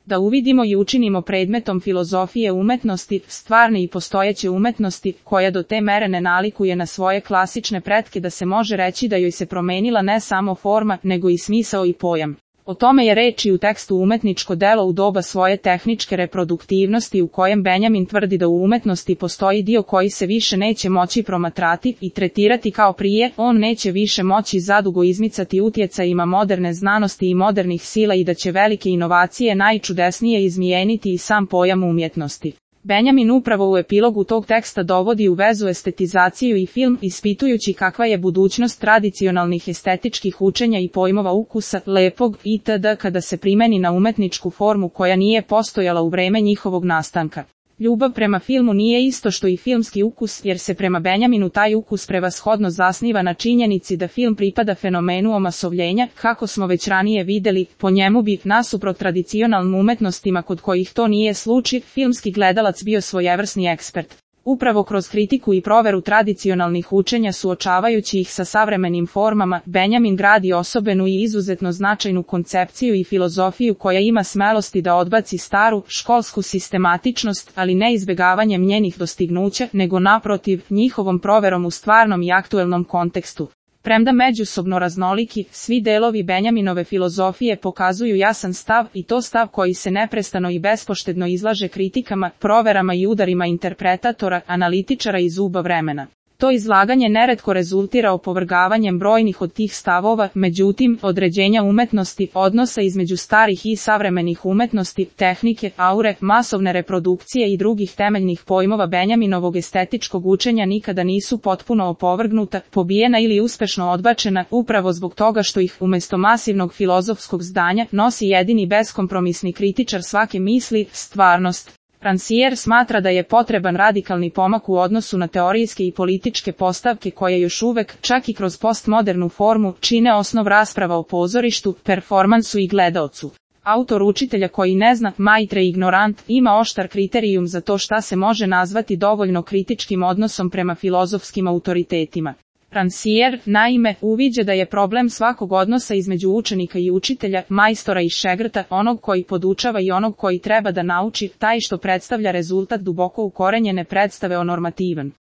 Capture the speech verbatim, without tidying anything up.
Da uvidimo i učinimo predmetom filozofije umetnosti, stvarne i postojeće umetnosti, koja do te mere ne nalikuje na svoje klasične pretke da se može reći da joj se promenila ne samo forma, nego i smisao i pojam. O tome je reč i u tekstu Umetničko delo u doba svoje tehničke reproduktivnosti, u kojem Benjamin tvrdi da u umetnosti postoji dio koji se više neće moći promatrati i tretirati kao prije, on neće više moći zadugo izmicati utjecajima moderne znanosti i modernih sila i da će velike inovacije najčudesnije izmijeniti i sam pojam umjetnosti. Benjamin upravo u epilogu tog teksta dovodi u vezu estetizaciju i film, ispitujući kakva je budućnost tradicionalnih estetičkih učenja i pojmova ukusa, lepog itd. Kada se primeni na umetničku formu koja nije postojala u vreme njihovog nastanka. Ljubav prema filmu nije isto što i filmski ukus, jer se prema Benjaminu taj ukus prevashodno zasniva na činjenici da film pripada fenomenu omasovljenja, kako smo već ranije videli, po njemu bi, nasuprot tradicionalnim umetnostima kod kojih to nije slučaj, filmski gledalac bio svojevrsni ekspert. Upravo kroz kritiku i proveru tradicionalnih učenja suočavajući ih sa savremenim formama, Benjamin gradi osobenu i izuzetno značajnu koncepciju i filozofiju koja ima smelosti da odbaci staru, školsku sistematičnost, ali ne izbjegavanjem njenih dostignuća, nego naprotiv, njihovom proverom u stvarnom i aktuelnom kontekstu. Premda međusobno raznoliki, svi delovi Benjaminove filozofije pokazuju jasan stav i to stav koji se neprestano i bespoštedno izlaže kritikama, proverama i udarima interpretatora, analitičara i zuba vremena. To izlaganje neretko rezultira opovrgavanjem brojnih od tih stavova, međutim, određenja umetnosti, odnosa između starih i savremenih umetnosti, tehnike, aure, masovne reprodukcije i drugih temeljnih pojmova Benjaminovog estetičkog učenja nikada nisu potpuno opovrgnuta, pobijena ili uspešno odbačena, upravo zbog toga što ih, umjesto masivnog filozofskog zdanja, nosi jedini beskompromisni kritičar svake misli, stvarnost. Rancière smatra da je potreban radikalni pomak u odnosu na teorijske i političke postavke koje još uvek, čak i kroz postmodernu formu, čine osnov rasprava o pozorištu, performansu i gledaocu. Autor učitelja koji ne zna, maitre ignorant, ima oštar kriterijum za to šta se može nazvati dovoljno kritičkim odnosom prema filozofskim autoritetima. Rancière, naime, uviđa da je problem svakog odnosa između učenika i učitelja, majstora i šegrta, onog koji podučava i onog koji treba da nauči, taj što predstavlja rezultat duboko ukorenjene predstave o normativan.